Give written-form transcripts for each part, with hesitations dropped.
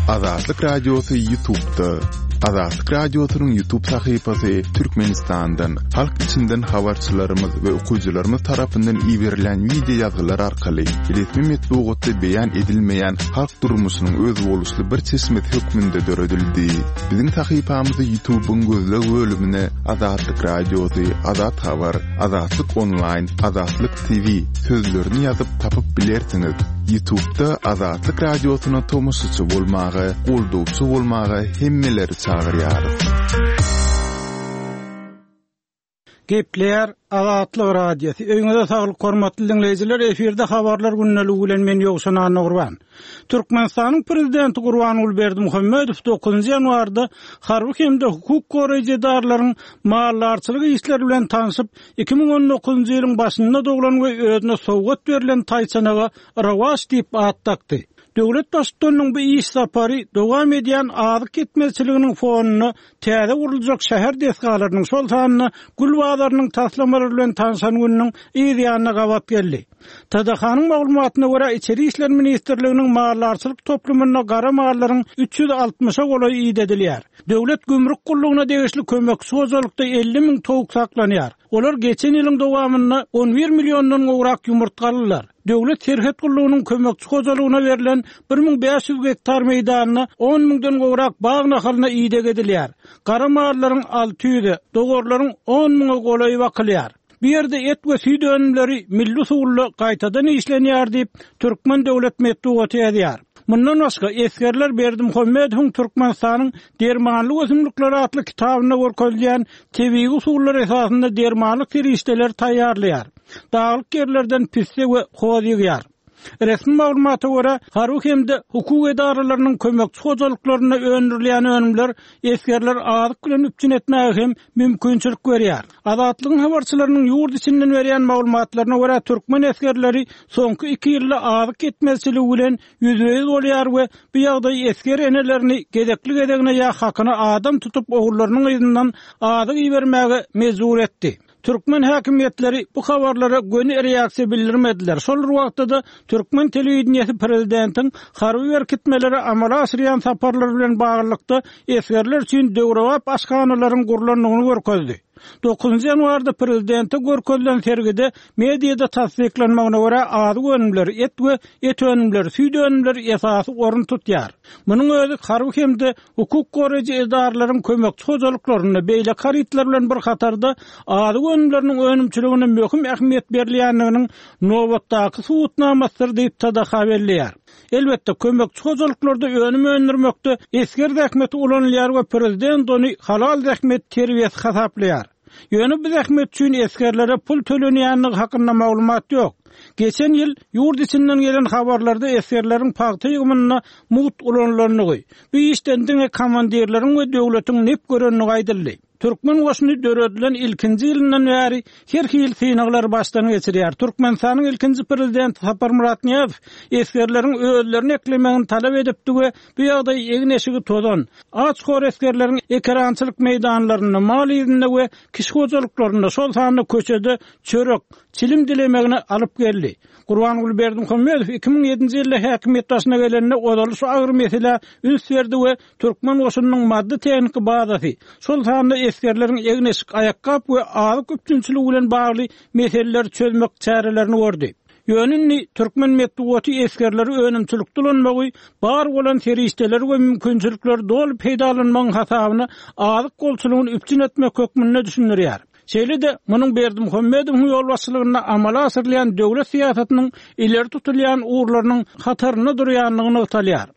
Azatlyk Radiosy Ýutubda. Azatlyk Radiosynyň Ýutub sahypasy Türkmenistandan, halk içinden habarçylarymyz we okyjylarymyz tarapyndan iberilen wideo ýazgylar arkaly resmi metbugatda beýan edilmeýän halk durmuşynyň özboluşly bir çeşmesi hökmünde döredildi. Biziň sahypamyzy Ýutubyň gözleg bölümine Azatlyk Radiosy, Azat Habar, Azatlyk Onlaýn, Azatlyk TV sözlerini ýazyp tapyp bilersiňiz. Ýutubda Azatlyk Radiosyna tomaşaçy bolmaga, goldawçy bolmaga hemmeleri çagyrýarys. Gepleýär Azatlyk Radiosy. Öýüňize saglyk hormatly diňleýjiler, efirde habarlar gündeligi bilen men Ýowşan Annagurban. Türkmenistanyň Prezidenti Gurbanguly Berdimuhamedow dokuzynjy ýanwarda harby hem-de hukuk goraýjy edaralaryň maldarçylyk işleri bilen tanşyp, 2019-njy ýylyň başynda doglan we özüne sowgat berlen taýçanaga Rowaç diýip at dakdy. Döwlet Baştutanynyň bu iş sapary dowam edýän azyk ýetmezçiliginiň fonunda täze guruljak şäher desgalarynyň, şol sanda gül bazarynyň taslamalary bilen tanşan gününiň yz ýanyna gabat geldi. TDH-nyň maglumatyna görä, Içeri işler ministrliginiň maldarçylyk toplumynda gara mallaryň 360-a golaýy idedilýär. Döwlet gümrük gullugyna degişli kömekçi hojalykda 50 müň towuk saklanýar. Olar geçen ýylyň dowamynda 11 milliondan gowrak ýumurtga aldylar. Döwlet serhet gullugynyň kömekçi hojalygyna berlen 1500 gektar meýdanda on müňden gowrak bag nahalyna ideg edilýär. Gara mallaryň 600-e, dowarlaryň on müňe golaýy bakylýar. Bu ýerde et we süýt önümleri milli usulda gaýtadan işlenýär diýip, türkmen döwlet metbugaty ýazýar. Mundan başga, esgerler Berdimuhamedowyň Türkmenistanyň dermanlyk ösümlikleri atly kitabynda görkezilýän tebigy usullar esasynda dermanlyk serişdeleri taýýarlaýar. Daglyk ýerlerden pisse we hoz ýygýar. Resmi maglumata görä, harby hem-de hukuk edaralarynyň kömekçi hojalyklarynda öndürilýän önümler esgerleri azyk bilen üpjün etmäge hem mümkinçilik berýär. Azatlygyň habarçylarynyň ýurt içinden berýän maglumatlaryna görä, türkmen esgerleri soňky iki ýylda azyk ýetmezçiligi bilen ýüzbe-ýüz bolýar we bu ýagdaý esger enelerini gezekli-gezegine ýa hakyna adam tutup ogullarynyň yzyndan azyk ibermäge mejbur etdi. Türkmen häkimiýetleri bu habarlara göni reaksiýa bildirmediler. Şol bir wagtda-da, türkmen telewideniýesi prezidentiň harby berkitmelere amala aşyrýan saparlary bilen baglylykda esgerler üçin döwrebap aşhanalaryň gurlandygyny görkezdi. Dokuzynjy ýanwarda prezidente görkezilen sergide mediada tassyklanmagyna görä, azyk önümleri, et we et önümleri, süýt önümleri esasy orun tutýar. Munuň özi harby hem-de Hukuk goraýjy edaralaryň kömekçi hojalyklarynda beýleki harytlar bilen bir hatarda azyk önümleriniň önümçiligine möhüm ähmiýet berilýändiginiň nobatdaky subutnamasydyr diýip, TDH belleýär. Elbetde, kömekçi hojalyklarda önüm öndürmekde esger zähmeti ulanylýar we prezident ony halal zähmet terbiýesi hasaplaýar. Ýöne bu zähmet üçin esgerlere pul tölenýändigi hakynda maglumat ýok. Geçen ýyl ýurt içinden gelen habarlarda esgerleriň pagta ýygymynda mugt ulanylandygy, bu işden diňe komandirleriň we döwletiň nep görendigi aýdyldy. Türkmen goşuny döredilen ilkinji ýylyndan bäri her hili synaglary başdan geçirýär. Türkmenistanyň ilkinji prezidenti Saparmyrat Nyýazow esgerleriň özlerini eklemegini talap edipdi we bu ýagdaý egin-eşigi tozan, Aç-hor esgerleriň ekerançylyk meýdanlarynda, mal yzynda we kişi hojalyklarynda, şol sanda köçede çörek, çilim dilemegine alyp geldi. Gurbanguly Berdimuhamedow 2007-nji ýylda häkimiýet başyna gelende ozaly şu agyr meselä üns berdi we türkmen goşunynyň maddy-tehniki bazasy, şol sanda esgerleriň egin-eşik, aýakgap we azyk üpjünçiligi bilen bagly meseleleri çözmek çärelerini gördi. Ýöne indi türkmen metbugaty esgerleri önümçilikde ulanmagy, bar bolan serişdeleri we mümkinçilikleri doly peýdalanmagyň hasabyna azyk bolçulygyny üpjün etmek hökmünde düşündirýär. Şeýle-de, munuň Berdimuhamedowyň ýolbaşçylygynda amala aşyrylýan döwlet syýasatynyň ileri tutulýan ugurlarynyň hatarynda durýandygy nygtalýar.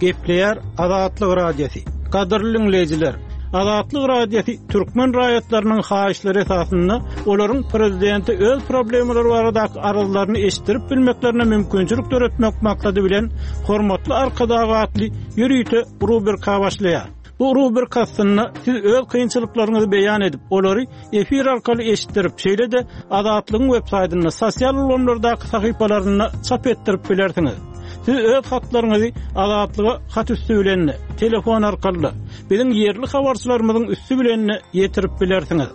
Gepleýär Azatlyk Radiosy. Gadyrly diňleýjiler, Azatlyk Radiosy türkmen raýatlarynyň haýyşlary esasynda olaryň prezidente öz problemalary baradaky arzlaryny eşitdirip bilmeklerine mümkinçilik döretmek maksady bilen Hormatly Arkadag atly ýörite rubrika başlaýar. Bu rubrika astynda siz öz kynçylyklaryňyzy beýan edip, olary efir arkaly eşitdirip, şeýle-de Azatlygyň websaýtynda, sosial ulgamlardaky sahypalarynda çap etdirip bilersiňiz. Siz öz hatlaryňyzy Azatlyga hat üsti bilen-de, telefon arkaly-da, biziň ýerli habarçylarymyzyň üsti bilen-de ýetirip bilersiňiz.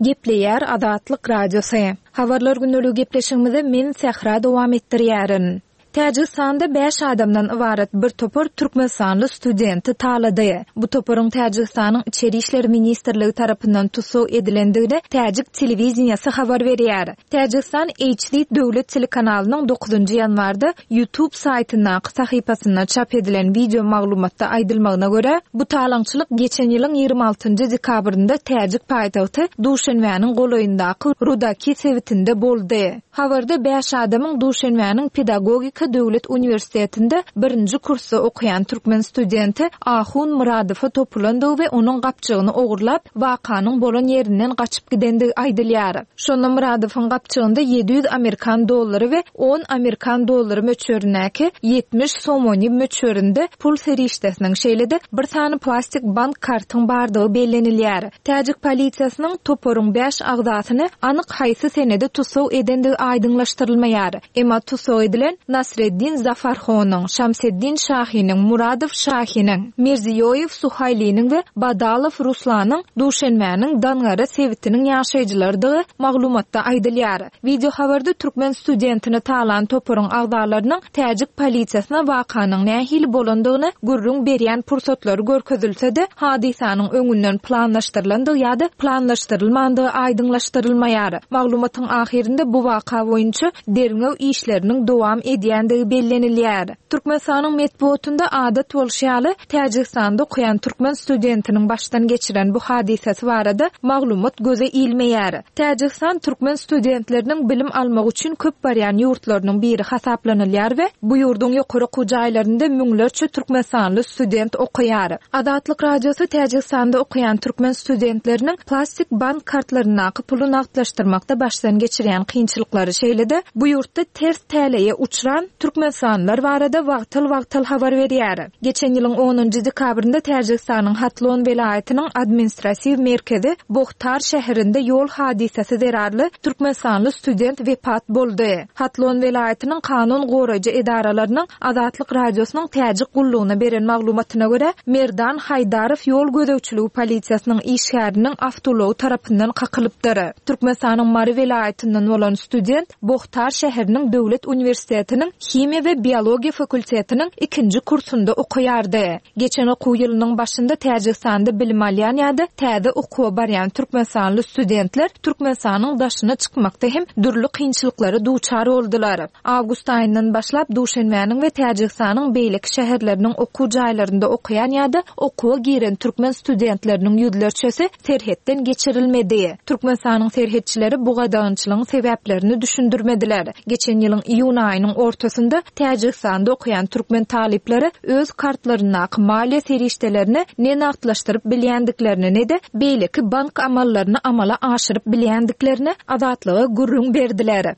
Gepleýär Azatlyk Radiosy. Habarlar gündeligi gepleşigimizi men Sähra dowam etdirýärin. Täjigistanda bäş adamdan ybarat bir topar türkmenistanly studenti talady. Bu toparyň Täjigistanyň Içeri işler ministrligi tarapyndan tussag edilendigini täjik telewideniýesi habar berýär. Täjigistan HD döwlet telekanalynyň dokuzynjy ýanwarda YouTube saýtyndaky sahypasynda çap edilen wideo maglumatda aýdylmagyna görä, bu talaňçylyk geçen ýylyň 26 njy dekabrynda täjik paýtagty Duşenbäniň golaýyndaky Rudaki sebitinde boldy. Habarda bäş adamyň Duşenbäniň Pedagogika döwlet uniwersitetinde birinji kursda okaýan türkmen studenti Ahun Myradowa topulandygy we onuň gapjygyny ogurlap, wakanyň bolan ýerinden gaçyp gidendigi aýdylýar. Şonda Myradowyň gapjygynda 700 amerikan dollary we on amerikan dollary möçberindäki 70 somoni möçberinde pul serişdesiniň, şeýle-de bir sany plastik bank kartyň bardygy bellenilýär. Täjik polisiýasynyň toparyň bäş agzasyny anyk haýsy senede tussag edendigi aýdyňlaşdyrylmaýar. Emma tussag edilen Nasreddin Zafarhonyň, Şamseddin Şahiniň, Muradow Şahiniň, Mirziýoýew Suhaýliniň we Badalow Ruslanyň Duşenbäniň Dangara sebitiniň ýaşaýjylarydygy maglumatda aýdylýar. Wideohabarda türkmen studentini talan toparyň agzalarynyň täjik polisiýasyna wakanyň nähili bolandygyny gürrüň berýän pursatlary görkezilse-de, hadysanyň öňünden planlaşdyrylandygy ýa-da planlaşdyrylmandygy aýdyňlaşdyrylmaýar. Maglumatyň ahyrynda bu waka boýunça derňew işleriniň dowam edýändigi bellenilýär. Türkmenistanyň metbugatynda adat bolşy ýaly, Täjigistanda okaýan türkmen studentiniň başdan geçiren bu hadysasy barada maglumat göze ilmeýär. Täjigistan türkmen studentleriniň bilim almak üçin köp barýan ýurtlarynyň biri hasaplanylýar we bu ýurduň ýokary okuw jaýlarynda müňlerçe türkmenistanly student okaýar. Azatlyk Radiosy Täjigistanda okaýan türkmen studentleriniň plastik bank kartlaryndaky puly nagtlaşdyrmakda başdan geçirýän kynçylyklary, şeýle-de bu ýurtda ters täleýe uçran türkmenistanlylar barada wagtal-wagtal habar berýär. Geçen ýylyň onunjy dekabrynda Täjigistanyň Hatlon welaýatynyň administratiw merkezi Bohtar şäherinde ýol hadysasy zerarly türkmenistanly student wepat boldy. Hatlon welaýatynyň kanun goraýjy edaralarynyň Azatlyk Radiosynyň Täjik gullugyna beren maglumatyna görä, Merdan Haýdarow ýol gözegçiligi polisiýasynyň işgäriniň awtoulagy tarapyndan kakylypdyr. Türkmenistanyň Mary welaýatyndan bolan student Bohtar şäheriniň döwlet uniwersitetiniň himiýa we biologiýa fakultetiniň ikinji kursunda okaýardy. Geçen okuw ýylynyň başynda Täjigistanda bilim alýan ýa-da täze okuwa barýan türkmenistanly studentler Türkmenistanyň daşyna çykmakda hem dürli kynçylyklara duçar boldular. Awgust aýyndan başlap Duşenbäniň we Täjigistanyň beýleki şäherleriniň okuw jaýlarynda okaýan ýa-da okuwa giren türkmen studentleriniň ýüzlerçesi serhetden geçirilmedi. Türkmenistanyň serhetçileri bu gadagançylygyň sebäplerini düşündirmediler. Geçen ýylyň iýun aýynyň ortasynda Täjigistanda okaýan türkmen talyplary öz kartlaryndaky maliýe serişdelerini ne nagtlaşdyryp bilýändiklerini, ne-de beýleki bank amallaryny amala aşyryp bilýändiklerini Azatlyga gürrüň berdiler.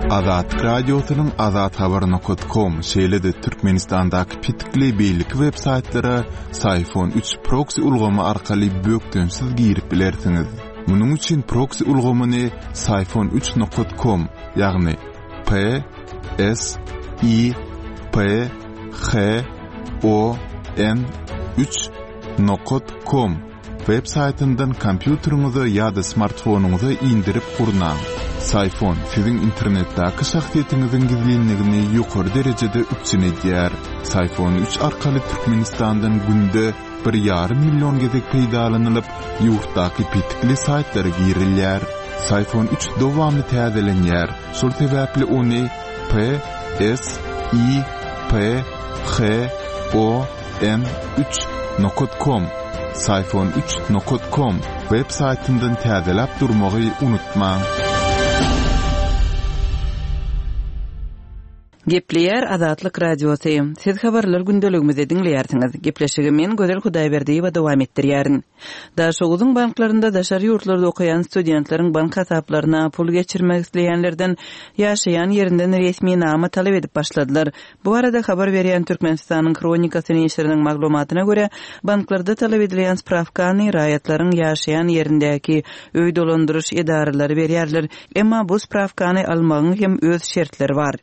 Azatlyk Radiosynyň azathabar nokat kom, şeýle-de Türkmenistandaky petikli beýleki web saýtlara Syfon üç proksi ulgamy arkaly bökdençsiz girip bilersiňiz. Munuň üçin proksi ulgamyny Syfon üç nokat kom, ýagny P S I P H O N üç nokat kom Web saýtyndan kompýuteriňize ýa-da smartfonyňyza indirip gurnaň. Syfon siziň internetdäki şahsyýetiňiziň gizlinligini ýokary derejede üpjün edýär. Syfon üç arkaly Türkmenistandan günde bir ýarym million gezek peýdalanylyp, ýurtdaky petikli saýtlara girilýär. Syfon üç dowamly täzelenýär, şol sebäpli ony P S I P H O M üç nokat kom Syfon üç nokat kom web saýtyndan täzeläp durmagy unutmaň. Gepleýär Azatlyk Radiosy. Siz habarlar gündeligimizi diňleýärsiňiz. Gepleşigi men Gözel Hudaýberdiýewa dowam etdirýärin. Daşoguzyň banklarynda daşary ýurtlarda okaýan studentleriň bank hasaplaryna pul geçirmek isleýänlerden ýaşaýan ýerinden resminama talap edip başladylar. Bu barada habar berýän Türkmenistanyň Hronikasy neşiriniň maglumatyna görä, banklarda talap edilýän sprawkany raýatlaryň ýaşaýan ýerindäki öý dolandyryş edaralary berýärler. Emma bu sprawkany almagyň hem öz şertleri bar.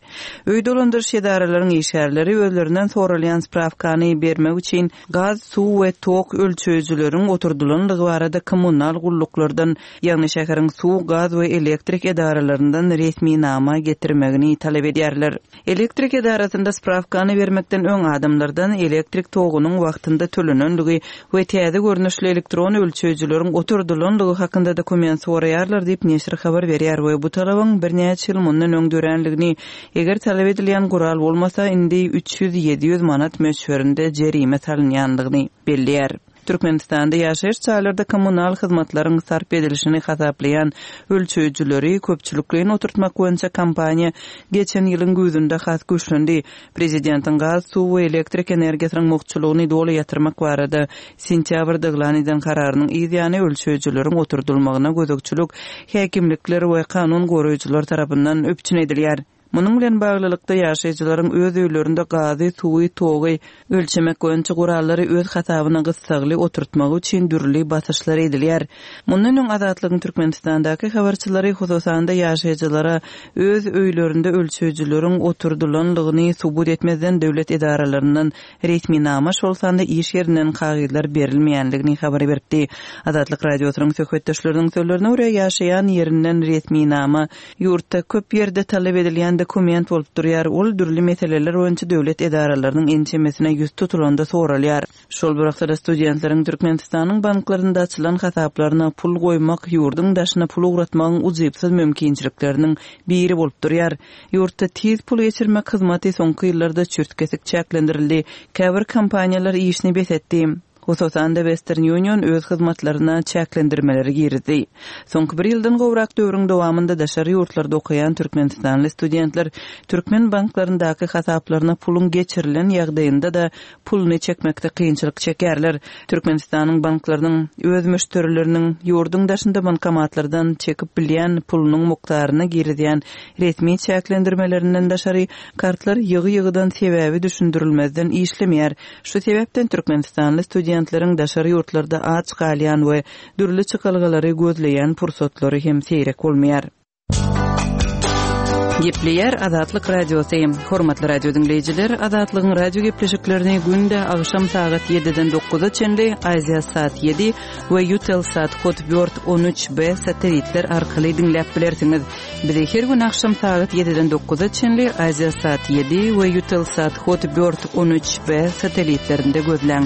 Öý. dolandyryş edaralaryň işgärleri özlerinden soralýan sprawkany bermek üçin gaz, suw we tok ölçeýjileriň oturdylandygy barada kommunal gulluklardan, ýagny şäheriň suw, gaz we elektrik edaralaryndan resminama getirmegini talap edýärler. Elektrik edarasynda sprawkany bermekden öň adamlardan elektrik togunyň wagtynda tölenenligi we täze görnüşli elektron ölçeýjileriň oturdylanlygy hakynda dokument soraýarlar diýip, neşir habar berýär we bu talabyň birnäçe ýyl mundan öň döränligini, eger talap edilýän gural bolmasa, indi 300-700 manat möçberinde jerime salynýanlygyny belleýär. Türkmenistanda ýaşaýyş jaýlarda kommunal hyzmatlaryň sarp edilişini hasaplaýan ölçeýjileri köpçülikleýin oturtmak boýunça kampaniýa geçen ýylyň güýzünde has güýçlendi. Prezidentiň gaz, suw we elektrik energiýasynyň mugtçulygyny doly ýatyrmak barada sentýabrda yglan eden kararynyň yz ýany ölçeýjileriň oturdylmagyna gözegçilik häkimlikler we kanun goraýjylar tarapyndan üpjün edilýär. Munuň bilen baglylykda, ýaşaýjylaryň öz öýlerinde gazy, suwy, togy ölçemek boýunça gurallary öz hasabyna gyssagly oturtmagy üçin dürli basyşlar edilýär. Mundan öň Azatlygyň Türkmenistandaky habarçylary, hususan-da, ýaşaýjylara öz öýlerinde ölçeýjileriň oturdylanlygyny subut etmezden döwlet edaralaryndan resminama, şol sanda iş ýerinden kagyzlar berilmeýänligini habar beripdi. Azatlyk Radiosynyň söhbetdeşleriniň sözlerine görä, ýaşaýan ýerinden resminama ýurtda köp ýerde talap edilýän dokument bolup durýar, ol dürli meseleler boýunça döwlet edaralarynyň ençemesine ýüz tutulanda soralýar. Şol bir wagtda-da studentleriň Türkmenistanyň banklarynda açylan hasaplaryna pul goýmak ýurduň daşyna pul ugratmagyň ujypsyz mümkinçilikleriniň biri bolup durýar. Ýurtda tiz pul geçirmek hyzmaty soňky ýyllarda çürt-kesik çäklendirildi, käbir kompaniýalar işini bes etdi. Hususan-da, Western Union öz hyzmatlaryna çäklendirmeleri girizdi. Soňky bir ýyldan gowrak döwrüň dowamynda daşary ýurtlarda okaýan türkmenistanly studentler türkmen banklaryndaky hasaplaryna puluň geçirilen ýagdaýynda-da puluny çekmekde kynçylyk çekýärler. Türkmenistanyň banklarynyň öz müşderileriniň ýurduň daşynda bankomatlardan çekip bilýän pulunyň mukdaryna girizýän resmi çäklendirmelerinden daşary, kartlar ýygy-ýygydan sebäbi düşündirilmezden işlemeýär. Şu sebäpden türkmenistanly studentleriň daşary ýurtlarda aç galýan we dürli çykalgalary gözleýän pursatlary hem seýrek bolmaýar. Gepleýär Azatlyk Radiosy. Hormatly radio diňleýjiler, Azatlygyň radio gepleşiklerini günde agşam sagat 7-den 9-a çenli Aziasat 7 we Eutelsat Hotbird 13B satelitler arkaly diňläp bilersiňiz. Bizi her gün agşam sagat 7-den 9-a çenli Aziasat 7 we Eutelsat Hotbird 13B satelitlerinde gözläň.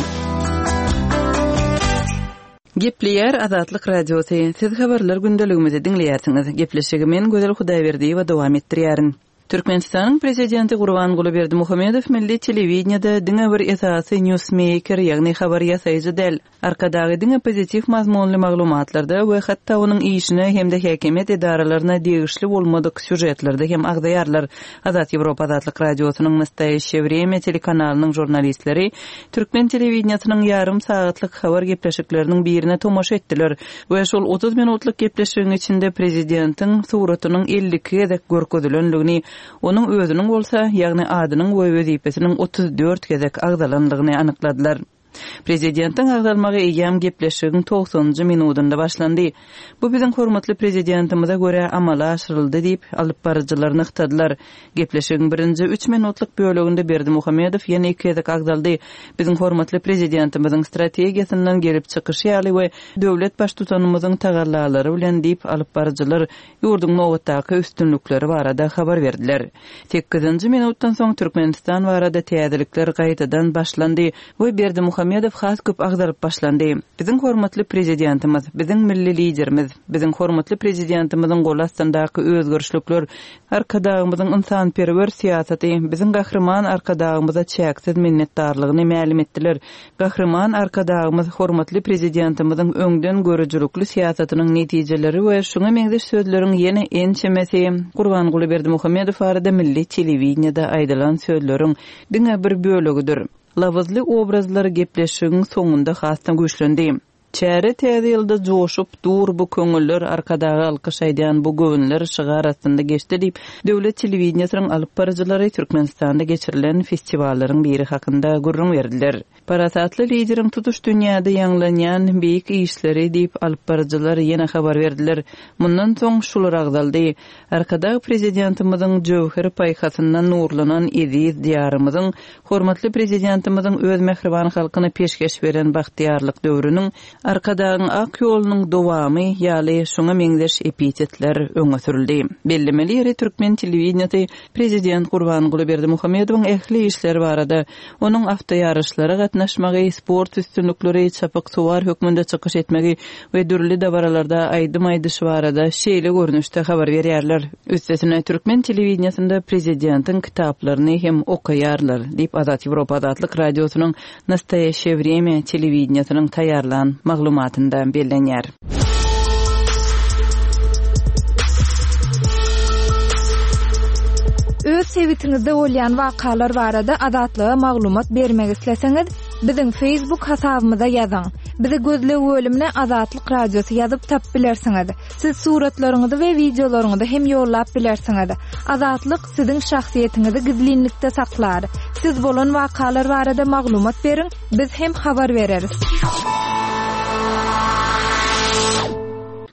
Gepleýär Azatlyk Radiosy, Siz habarlar gündeligimizi diňleýärsiňiz. Gepleşigi men Gözel Hudaýberdiýewa dowam etdirýärin. Türkmenistanyň Prezidenti Gurbanguly Berdimuhamedow milli telewideniýede diňe bir esasy nýusmeýker, ýagny habar ýasaýjy däl. Arkadagy diňe pozitiw mazmunly maglumatlarda we hatda onuň işine hem-de häkimiýet edaralaryna degişli bolmadyk sýužetlerde hem agzaýarlar. Azat Ýewropa Azatlyk Radiosynyň Nastoýaşçe Wremýa telekanalynyň žurnalistleri türkmen telewideniýesiniň ýarym sagatlyk habar gepleşikleriniň birine tomaşa etdiler we şol 30 minutlyk gepleşigiň içinde prezidentiň suratynyň 52 gezek görkezilendigini, onuň özüniň bolsa, ýagny adynyň we wezipesiniň 34 gezek agzalandygyny anykladylar. Prezidentiň agzalmagy eýýäm gepleşigiň togsanynjy minudynda başlandy. Bu biziň hormatly Prezidentimize görä amala aşyryldy diýip, alypbaryjylar nygtadylar. Gepleşigiň birinji üç minutlyk böleginde Berdimuhamedow ýene iki gezek agzaldy. Biziň hormatly Prezidentimiziň strategiýasyndan gelip çykyşy ýaly we döwlet Baştutanymyzyň tagallalary bilen diýip, alypbaryjylar ýurduň nobatdaky üstünlikleri barada habar berdiler. Sekizinji minutdan soň Türkmenistan barada täzelikler gaýtadan başlandy we Berdimuhamedow has köp agzalyp başlandy. Biziň hormatly Prezidentimiz, biziň milli Liderimiz, biziň hormatly Prezidentimiziň goly astyndaky özgerişlikler, Arkadagymyzyň ynsanperwer syýasaty, biziň Gahryman Arkadagymyza çäksiz minnetdarlygyny mälim etdiler. Gahryman Arkadagymyz hormatly Prezidentimiziň öňdengörüjilikli syýasatynyň netijeleri we şuňa meňzeş sözleriň ýene ençemesi Gurbanguly Berdimuhamedow barada milli telewideniýede aýdylan sözleriň diňe bir bölegidir. Labyzly obrazlar gepleşigiň soňunda has-da güýçlendi. Çäre Täze ýylda joşup dur bu köňüller, Arkadaga alkyş aýdýan bu göwünler şygar astynda geçdi diýip, döwlet telewideniýesiniň alyp baryjylary Türkmenistanda geçirilen festiwallaryň biri hakynda gürrüň berdiler. Parasatly Lideriň tutuş dünýäde ýaňlanýan beýik işleri diýip, alypbaryjylar ýene habar berdiler. Mundan soň şular agzaldy, Arkadag Prezidentimiziň jöwher paýhasyndan nurlanan eziz Diýarymyzyň, hormatly Prezidentimiziň öz mähriban halkyna peşgeş beren bagtyýarlyk döwrüniň Arkadagyň ak ýolunyň dowamy ýaly şuňa meňzeş epitetler öňe sürüldi. Bellemeli ýeri, türkmen telewideniýesi Prezident Gurbanguly Berdimuhamedowyň ähli işleri barada, onuň awtoýaryşlara gatnaşmagy, sport üstünlikleri, çapyksuwar hökmünde çykyş etmegi we dürli dabaralarda aýdym aýdyşy barada şeýle görnüşde habar berýärler. Üstesine, türkmen telewideniýesinde prezidentiň kitaplaryny hem okaýarlar, diýip, Azat Ýewropa Azatlyk Radiosynyň Nastoýaşeýe wremýa telewideniýesiniň taýýarlan maglumatynda bellenýär. Öz sebitiňizde bolýan wakalar barada Azatlyga maglumat bermek isleseňiz, biziň Facebook hasabymyza ýazyň. Bizi gözleg bölümine Azatlyk Radiosy ýazyp tapyp bilersiňiz. Siz suratlaryňyzy we wideolaryňyzy hem ýollap bilersiňiz. Azatlyk siziň şahsyýetiňizi gizlinlikde saklar. Siz bolan wakalar barada maglumat beriň, biz hem habar bereris.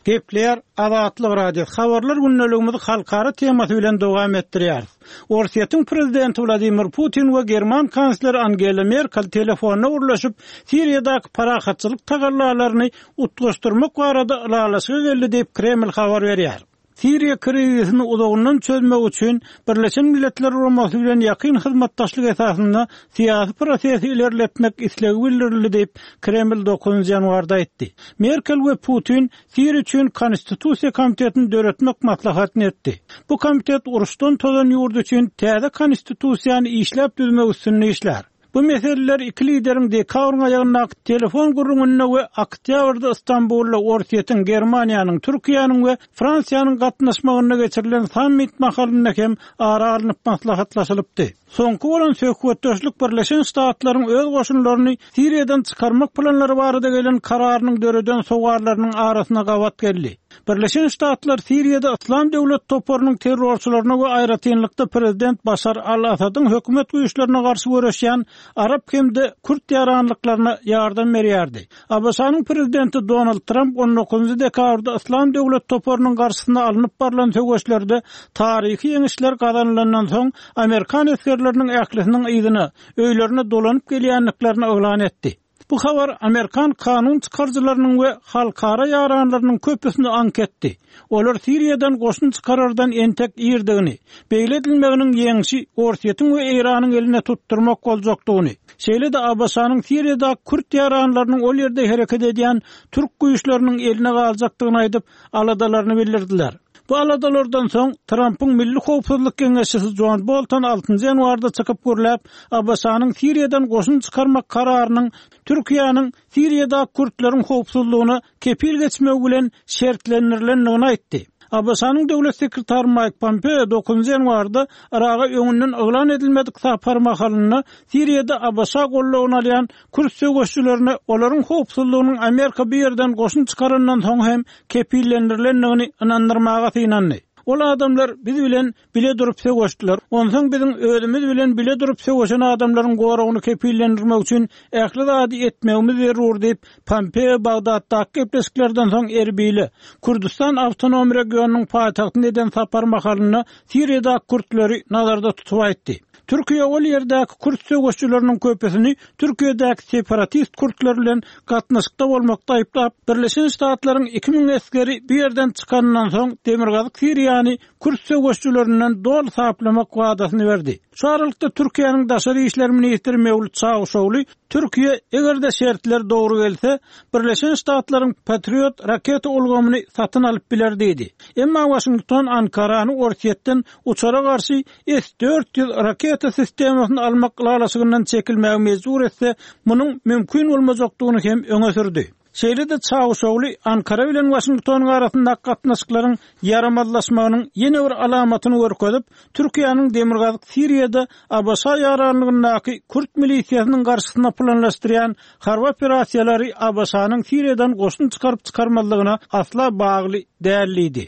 Gepleýär Azatlyk Radiosy. Habarlar gündeligimizi halkara temasy bilen dowam etdirýäris. Orsýetiň prezidenti Wladimir Putin we german kansleri Angela Merkel telefonda gürleşip, Siriýadaky parahatçylyk tagallalaryny utgaşdyrmak barada ylalaşyga geldi diýip, Kreml habar berýär. Siriýa krizisini uzagyndan çözmek üçin Birleşen Milletler Guramasy bilen ýakyn hyzmatdaşlyk esasynda syýasy prosesi ilerletmek islegi bildirildi diýip, Kreml dokuzynjy ýanwarda aýtdy. Merkel we Putin Siriýa üçin Konstitusiýa komitetini döretmek maslahatyny etdi. Bu komitet uruşdan tozan ýurt üçin täze konstitusiýany işläp düzmek üstünde işlär. Bu meseleler iki lideriň dekabryň aýagyndaky telefon gürrüňinde we oktýabrda Stambulda Orsýetiň, Germaniýanyň, Türkiýäniň we Fransiýanyň gatnaşmagynda geçirilen sammit mahalynda hem ara alnyp maslahatlaşylypdy. Soňky bolan söhbetdeşlik Birleşen Ştatlaryň öz goşunlaryny Siriýadan çykarmak planlary barada gelen kararynyň döreden sowallarynyň arasyna gabat geldi. Birleşen Ştatlar Siriýada Yslam döwlet toparynyň terrorçylaryna we aýratynlykda prezident Başar al-Asadyň hökümet güýçlerine garşy göreşýän arap hem-de kürt ýaranlyklaryna ýardam berýärdi. ABŞ-nyň prezidenti Donald Tramp on dokuzynjy dekabrda Yslam döwlet toparynyň garşysyna alnyp barlan söweşlerde taryhy ýeňişler gazanylandan soň amerikan esgerleriniň ählisiniň yzyna, öýlerine dolanyp gelýändiklerini yglan etdi. Bu habar amerikan kanun çykaryjylarynyň we halkara ýaranlarynyň köpüsini aňk etdi. Olar Siriýadan goşun çykarardan entek irdigini, beýle edilmeginiň ýeňşi Orsýetiň we Eýranyň eline tutdurmak boljakdygyny, şeýle-de ABŞ-nyň Siriýadaky kürt ýaranlarynyň ol ýerde hereket edýän türk güýçleriniň eline galjakdygyny aýdyp, aladalaryny bildirdiler. Bu aladalardan soň, Trampyň Milli howpsuzlyk geňeşçisi Jon Bolton altynjy ýanwarda çykyp gürläp, ABŞ-nyň Siriýadan goşun çykarmak kararynyň Türkiýäniň Siriýadaky kürtleriň howpsuzlygyna kepil geçmegi bilen şertlendirilendigini aýtdy. ABŞ-nyň döwlet sekretary Maýk Pompeo dokuzynjy ýanwarda Yraga öňünden yglan edilmedik sapary mahalynda Siriýada ABŞ goldawyny alýan Kürt söweşçilerine olaryň howpsuzlygynyň Amerika bu ýerden goşun çykarandan soň hem kepillendirilendigini ynandyrmaga synandy. Ol adamlar biz bilen bile durup söweşdiler. Onsoň biziň özümiz bilen bile durup söweşen adamlaryň goragyny kepillendirmek üçin ähli zady etmegimiz zerur diýip, Pompeo Bagdatdaky gepleşiklerden soň Erbile, Kürdüstan awtonom regionynyň paýtagtyna eden sapary mahalynda Siriýadaky kürtleri nazarda tutup aýtdy. Türkiýe ol ýerdäki kürt söweşçileriniň köpüsini Türkiýedäki separatist kürtler bilen gatnaşykda bolmakda aýyplap, Birleşen Ştatlaryň 2000 esgeri bu ýerden çykanyndan soň Demirgazyk Siriýany kürt söweşçilerinden doly saplamak wadasyny berdi. Şu aralykda Türkiýäniň daşary işler ministri Mewlüt Çawuşogly Türkiýe eger-de şertler dogry gelse, Birleşen Ştatlaryň Patriot raketa ulgamyny satyn alyp biler diýdi. Emma Waşington Ankarany Orsýetden uçara garşy S 400 raketa sistemasyny almak ylalaşygyndan çekilmäge mejbur etse, munuň mümkin bolmajakdygyny hem öňe sürdi. Şeýle-de Çawuşogly Ankara bilen Waşingtonyň arasyndaky gatnaşyklaryň ýaramazlaşmagynyň ýene bir alamatyny görkezip, Türkiýäniň demirgazyk Siriýada ABŞ ýaranlygyndaky kürt milisiýasynyň garşysyna planlaşdyrýan harby operasiýalary ABŞ-nyň Siriýadan goşun çykaryp-çykarmazlygyna asla bagly däl diýdi.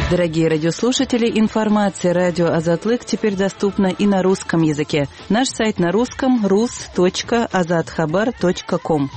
Дорогие радиослушатели, информация радио Азатлык теперь доступна и на русском языке. Наш сайт на русском rus.azathabar.com.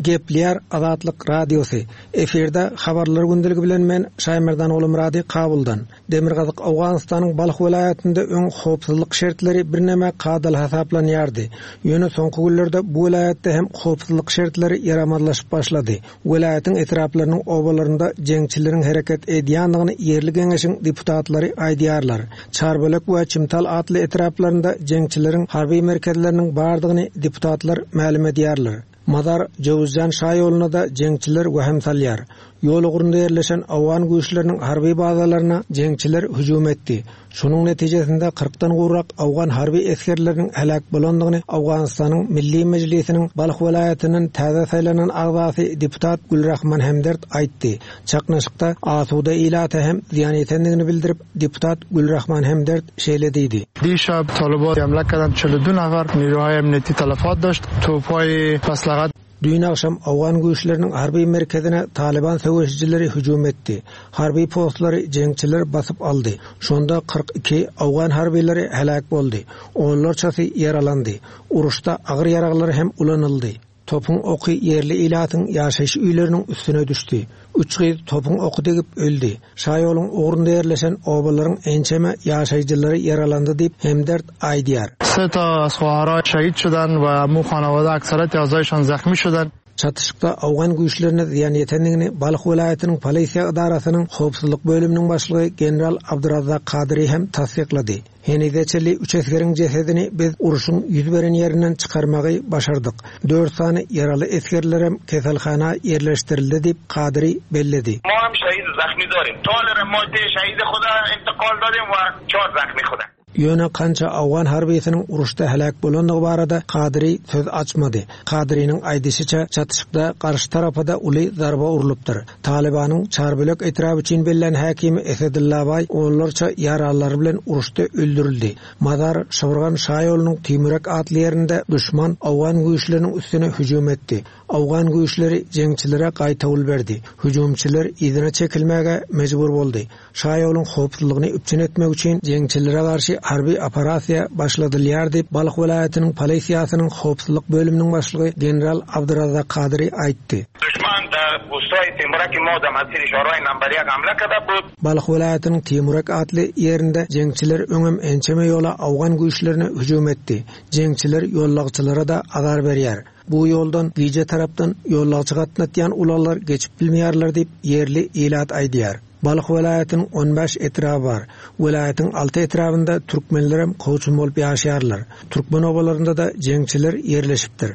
Gepleýär Azatlyk Radiosy. Efirde Habarlar gündeligi bilen men Şaýmerdan Ogulmyrady Kabuldan. Demirgazyk Owganystanyň Balh welaýatynda öň howpsuzlyk şertleri birneme kadaly hasaplanýardy. Ýöne soňky günlerde bu welaýatda hem howpsuzlyk şertleri ýaramazlaşyp başlady. Welaýatyň etraplarynyň obalarynda jeňçileriň hereket edýändigini ýerli geňeşiň deputatlary aýdýarlar. Çarbölek we Çimtal atly etraplarynda jeňçileriň harby merkezleriniň bardygyny deputatlar mälim edýärler. Mazar, Jöwüzjan şaýoluna-da jeňçiler wehim salýar. Ýol ugrunda ýerleşen owgan güýçleriniň harby bazalaryna jeňçiler hüjüm etdi. Şonuň netijesinde kyrkdan gowrak owgan harby esgerleriniň heläk bolandygyny Owganystanyň Milli Mejlisiniň Balh welaýatyndan täze saýlanan agzasy deputat Gülrahman Hemdert aýtdy. Çaknyşykda asuda ilata hem zyýan ýetendigini bildirip, deputat Gülrahman Hemdert şeýle diýdi. Dişab Talyban hamle kerdand 42 nafar niruhay emniyeti talafat daşt tophay maslahat. Düýn agşam owgan güýçleriniň harby merkezine Talyban söweşijileri hüjüm etdi. Harby postlary jeňçiler basyp aldy. Şonda 42 owgan harbylary heläk boldy. Onlarçasy ýaralandy. Uruşda agyr ýaraglar hem ulanyldy. Topuň oky ýerli ilatyň ýaşaýyş öýleriniň üstüne düşdi. Üç gyz topuň oky degip öldi. Şaýoluň ugrunda ýerleşen obalaryň ençeme ýaşaýjylary ýaralandy diýip, Hemdert aýdýar. Se ta az hohara şehid şudan we mu hanawada aksariyat azayşan zahmi şudan. Çatyşykda owgan güýçlerine zyýan ýetendigini Balh welaýatynyň polisiýa edarasynyň howpsuzlyk bölüminiň başlygy general Abdyrazzak Kadyry hem tassyklady. Henize çenli üç esgeriň jesedini biz urşuň ýüz beren ýerinden çykarmagy başardyk. Dört sany ýaraly esgerlerem keselhana ýerleşdirildi diýip, Kadyry belledi. Ma hem şehid zahmi darim. Taler ma de şehid huda intikal dadim we çar zahmi huda. Ýöne kança owgan harbysynyň uruşda heläk bolandygy barada Kadyry söz açmady. Kadyrynyň aýdyşyça, çatyşykda garşy tarapa-da uly zarba urlupdyr. Talybanyň Çarbölek etraby üçin bellän häkimi Esedullabaý onlarça ýaralylary bilen uruşda öldürildi. Mazar, Şybyrgan şaýolunyň Timurek atly ýerinde duşman owgan güýçleriniň üstüne hüjüm etdi. Owgan güýçleri jeňçilere gaýtawul berdi. Hüjümçiler yzyna çekilmäge mejbur boldy. Şaýoluň howpsuzlygyny üpjün etmek üçin jeňçilere garşy harby operasiýa başladylýar diýip, Balh welaýatynyň polisiýasynyň howpsuzlyk bölüminiň başlygy general Abdyrazzak Kadyry aýtdy. Duşman dar rustaýy Timurek ma da masiri şoraý namber ýek hamle kerde bud. Balh welaýatynyň Timurek atly ýerinde jeňçiler öňem ençeme ýola owgan güýçlerine hüjüm etdi. Jeňçiler ýollagçylara-da azar berýär. Bu ýoldan gije tarapdan ýollagçy gatnatýan ulaglar geçip bilmeýärler diýip, ýerli ilat aýdýar. Balh welaýatynyň on bäş etraby bar. Welaýatyň alty etrabynda türkmenlerem kowçum bolup ýaşaýarlar. Türkmen obalarynda-da jeňçiler ýerleşipdir.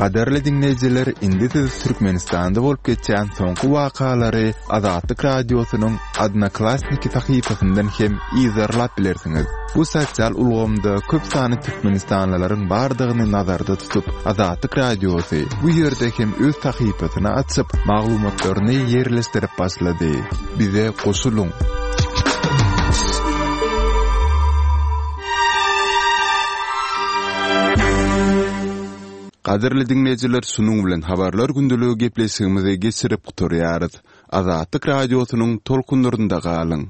Gadyrly diňleýjiler, indi siz Türkmenistanda bolup geçýän soňky wakalary Azatlyk Radiosynyň Odnoklassniki sahypasyndan hem yzarlap bilersiňiz. Bu sosial ulgamda köp sanly türkmenistanlylaryň bardygyny nazarda tutup, Azatlyk Radiosy bu ýerde hem öz sahypasyny açyp, maglumatlaryny ýerleşdirip başlady. Bize goşulyň! Gadyrly diňleýjiler şunuň bilen Habarlar gündeligi gepleşigimizi geçirip gutarýarys. Azatlyk Radiosynyň tolkunlarynda galyň!